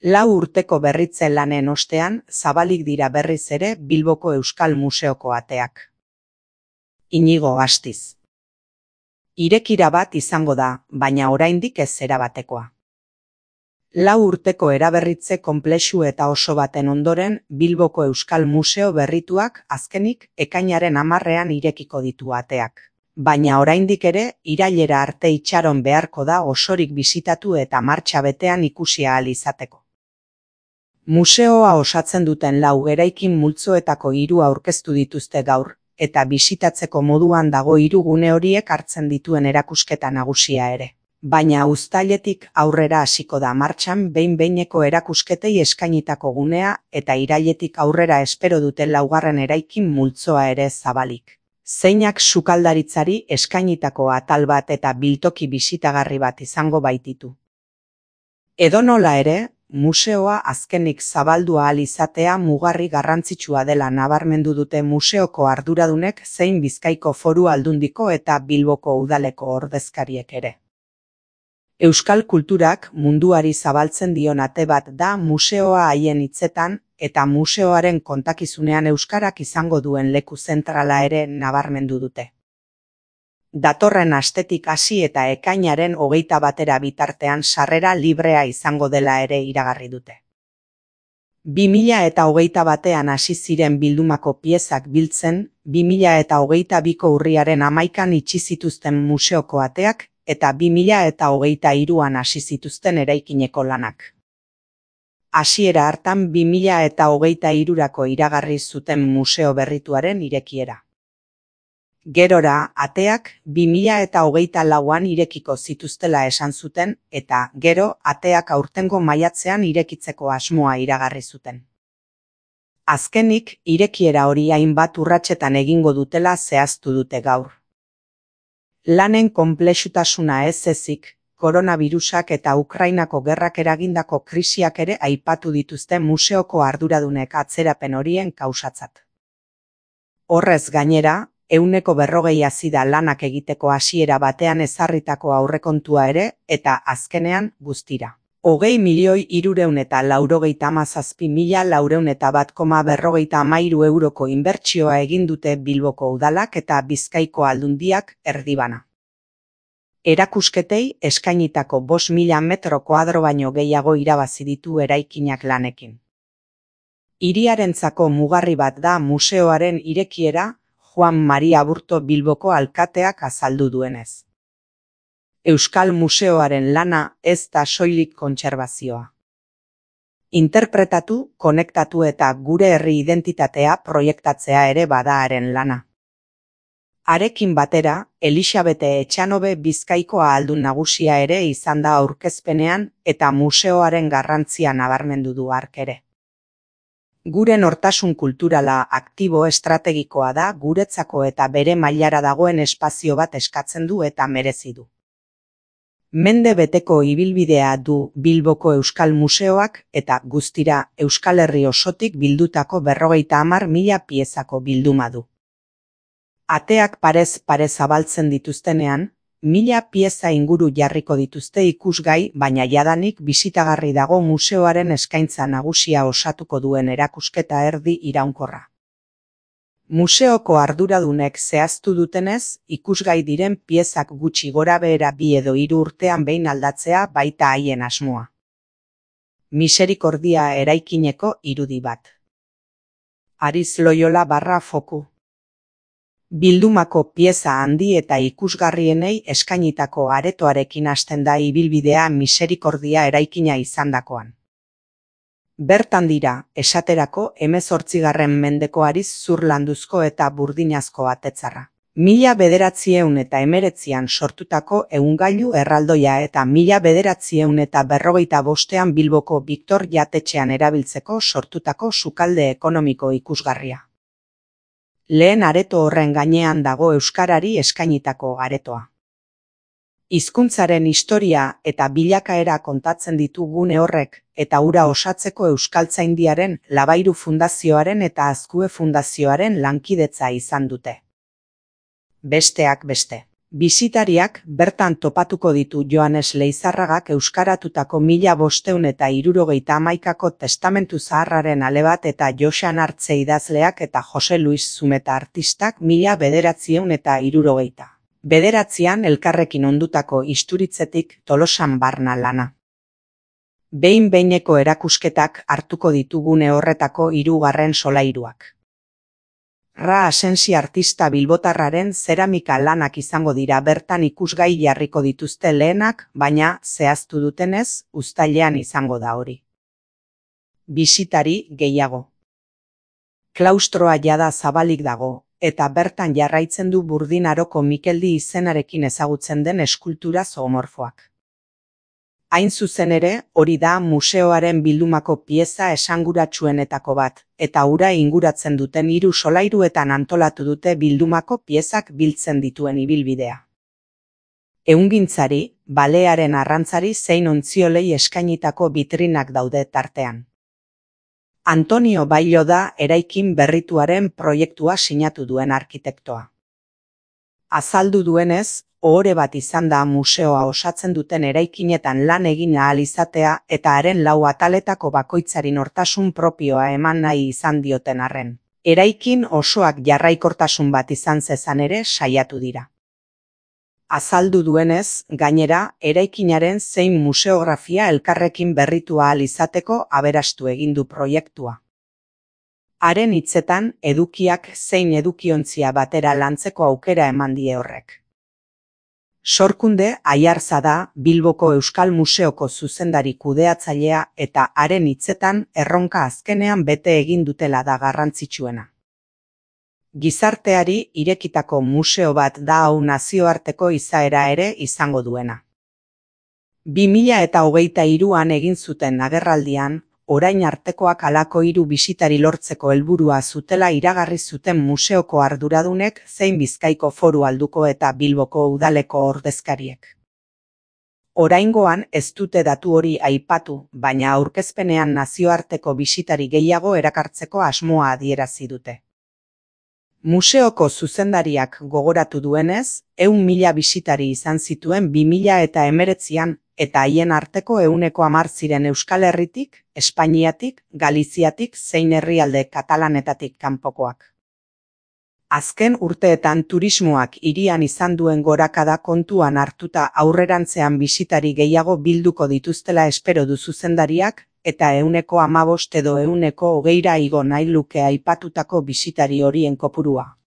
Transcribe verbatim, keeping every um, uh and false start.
Lau urteko berritze lanen ostean, zabalik dira berriz ere Bilboko Euskal Museoko ateak. Inigo Astiz. Irekira bat izango da, baina oraindik ez erabatekoa. Lau urteko eraberritze konplexu eta oso baten ondoren, Bilboko Euskal Museo berrituak azkenik ekainaren hamarrean irekiko ditu ateak. Baina oraindik ere, irailera arte itxaron beharko da osorik bisitatu eta martxa betean ikusi ahal izateko. Museoa osatzen duten lau eraikin multzoetako hiru aurkeztu dituzte gaur, eta bisitatzeko moduan dago hiru gune horiek hartzen dituen erakusketa nagusia ere. Baina uztailetik aurrera hasiko da martxan behin-behineko erakusketei eskainitako gunea eta irailetik aurrera espero dute laugarren eraikin multzoa ere zabalik. Zeinak sukaldaritzari eskainitako atal bat eta biltoki bisitagarri bat izango baititu. Edonola ere, museoa azkenik zabaldu ahal izatea mugarri garrantzitsua dela nabarmendu dute museoko arduradunek zein Bizkaiko Foru Aldundiko eta Bilboko Udaleko ordezkariek ere. Euskal kulturak munduari zabaltzen dion ate bat da museoa haien hitzetan, eta museoaren kontakizunean euskarak izango duen leku zentrala ere nabarmendu dute. Datorren astetik hasi eta ekainaren hogeita batera bitartean sarrera librea izango dela ere iragarri dute. bi mila eta hogeita batean hasi ziren bildumako piezak biltzen, bi mila eta hogeita biko urriaren hamaikan itxi zituzten museoko ateak, eta bi mila eta hogeita hiruan hasi zituzten eraikineko lanak. Hasiera hartan bi mila eta hogeita hirurako iragarri zuten museo berrituaren irekiera. Gerora, ateak bi mila eta hogeita lauan irekiko zituztela esan zuten, eta gero ateak aurtengo maiatzean irekitzeko asmoa iragarri zuten. Azkenik, irekiera hori hainbat urratsetan egingo dutela zehaztu dute gaur. Lanen konplexutasuna ez ezik, koronabirusak eta Ukrainako gerrak eragindako krisiak ere aipatu dituzte museoko arduradunek atzerapen horien kausatzat. Horrez gainera, ehuneko berrogei hazi da lanak egiteko hasiera batean ezarritako aurrekontua ere, eta azkenean guztira. Hogei milioi hirurehun eta laurogeita hamazazpi mila laurehun eta bat koma berrogeita hamairu euroko inbertsioa egin dute Bilboko Udalak eta Bizkaiko Aldundiak erdibana. Erakusketei eskainitako bost mila metro koadro baino gehiago irabazi ditu eraikinak lanekin. Hiriarentzako mugarri bat da museoaren irekiera, Juan Maria Aburto Bilboko alkateak azaldu duenez. Euskal Museoaren lana ez da soilik kontserbazioa. Interpretatu, konektatu eta gure herri identitatea proiektatzea ere bada haren lana. Harekin batera, Elisabete Etxanobe Bizkaiko ahaldun nagusia ere izan da aurkezpenean eta museoaren garrantzia nabarmendu du hark ere. Gure nortasun kulturala aktibo estrategikoa da guretzako eta bere mailara dagoen espazio bat eskatzen du eta merezi du. Mende beteko ibilbidea du Bilboko Euskal Museoak eta guztira Euskal Herri osotik bildutako berrogeita hamar mila piezako bilduma du. Ateak parez pare zabaltzen dituztenean, mila pieza inguru jarriko dituzte ikusgai, baina jadanik bisitagarri dago museoaren eskaintza nagusia osatuko duen erakusketa erdi iraunkorra. Museoko arduradunek zehaztu dutenez, ikusgai diren piezak gutxi gorabehera bi edo hiru urtean behin aldatzea baita haien asmoa. Miserikordia eraikineko irudi bat. Ariz Loyola barra foku. Bildumako pieza handi eta ikusgarrienei eskainitako aretoarekin hasten da ibilbidea Miserikordia eraikina izandakoan. Bertan dira, esaterako hemezortzigarren mendeko hariz zurlanduzko eta burdinazko atetzarra. Mila bederatziehun eta hemeretzian sortutako ehungailu erraldoia eta mila bederatziehun eta berrogeita bostean Bilboko Victor jatetxean erabiltzeko sortutako sukalde ekonomiko ikusgarria. Lehen areto horren gainean dago euskarari eskainitako aretoa. Hizkuntzaren historia eta bilakaera kontatzen ditu gune horrek, eta hura osatzeko Euskaltzaindiaren, Labairu Fundazioaren eta Azkue Fundazioaren lankidetza izan dute. Besteak beste. Bisitariak bertan topatuko ditu Joanes Leizarragak euskaratutako mila bosteun eta hirurogeita hamaikako testamentu zaharraren ale bat eta Joxan Artze idazleak eta Jose Luis Zumeta artistak mila bederatzieun eta hirurogeita. Bederatzian elkarrekin ondutako isturitzetik Tolosan barna lana. Behin-behineko erakusketak hartuko ditugune horretako hirugarren solairuak. Ra Asensi artista bilbotarraren zeramika lanak izango dira bertan ikusgai jarriko dituzte lehenak, baina zehaztu dutenez, uztailean izango da hori. Bisitari gehiago. Klaustroa jada zabalik dago, eta bertan jarraitzen du Burdin Aroko Mikeldi izenarekin ezagutzen den eskultura zoomorfoak. Hain zuzen ere, hori da museoaren bildumako pieza esanguratsuenetako bat, eta hura inguratzen duten hiru solairuetan antolatu dute bildumako piezak biltzen dituen ibilbidea. Ehungintzari, balearen arrantzari zein ontziolei eskainitako bitrinak daude tartean. Antonio Bailo da eraikin berrituaren proiektua sinatu duen arkitektoa. Azaldu duenez, ohore bat izan da museoa osatzen duten eraikinetan lan egin ahal izatea eta haren lau ataletako bakoitzari nortasun propioa eman nahi izan dioten arren. Eraikin osoak jarraikortasun bat izan zezan ere saiatu dira. Azaldu duenez, gainera, eraikinaren zein museografia elkarrekin berritu ahal izateko aberastu egin du proiektua. Haren hitzetan, edukiak zein edukiontzia batera lantzeko aukera eman die horrek. Sorkunde Aiarza da Bilboko Euskal Museoko zuzendari kudeatzailea eta haren hitzetan erronka azkenean bete egin dutela da garrantzitsuena. Gizarteari irekitako museo bat da hau nazioarteko izaera ere izango duena. bi mila hogeita hiruan egin zuten agerraldian, orain artekoak halako hiru bisitari lortzeko helburua zutela iragarri zuten museoko arduradunek zein Bizkaiko Foru Alduko eta Bilboko udaleko ordezkariek. Oraingoan ez dute datu hori aipatu, baina aurkezpenean nazioarteko bisitari gehiago erakartzeko asmoa adierazi dute. Museoko zuzendariak gogoratu duenez, ehun mila bisitari izan zituen bi mila hemeretzian, eta haien arteko ehuneko hamar ziren Euskal Herritik, Espainiatik, Galiziatik zein herrialde katalanetatik kanpokoak. Azken urteetan turismoak hirian izan duen gorakada kontuan hartuta aurrerantzean bisitari gehiago bilduko dituztela espero du zuzendariak, eta ehuneko hamabost edo ehuneko hogeira igo nahi luke aipatutako bisitari horien kopurua.